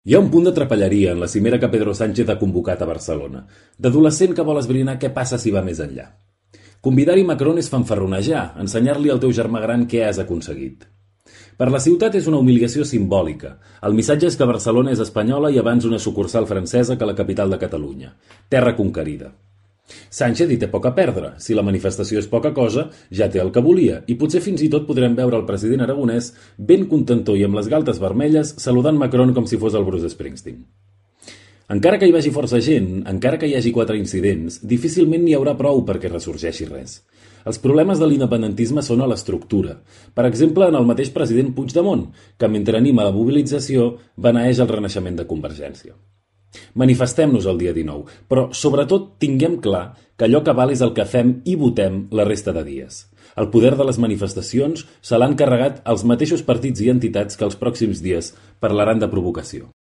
Hi ha un punt de trapelleria en la cimera que Pedro Sánchez ha convocat a Barcelona, d'adolescent que vol esbrinar què passa si va més enllà. Convidar-hi Macron és fanfarronejar, ensenyar-li al teu germà gran què has aconseguit. Per la ciutat és una humiliació simbòlica. El missatge és que Barcelona és espanyola i abans una sucursal francesa que la capital de Catalunya. Terra conquerida. Sánchez hi té poc a perdre. Si la manifestació és poca cosa, ja té el que volia, i potser fins i tot podrem veure el president aragonès ben contentó i amb les galtes vermelles saludant Macron com si fos el Bruce Springsteen. Encara que hi vagi força gent, encara que hi hagi 4 incidents, difícilment n'hi haurà prou perquè ressorgeixi res. Els problemes de l'independentisme són a l'estructura. Per exemple, en el mateix president Puigdemont, que mentre anima la mobilització, beneeix el renaixement de Convergència. Manifestem-nos el dia 19, però sobretot tinguem clar que allò que val és el que fem i votem la resta de dies. El poder de les manifestacions se l'han carregat els mateixos partits i entitats que els pròxims dies parlaran de provocació.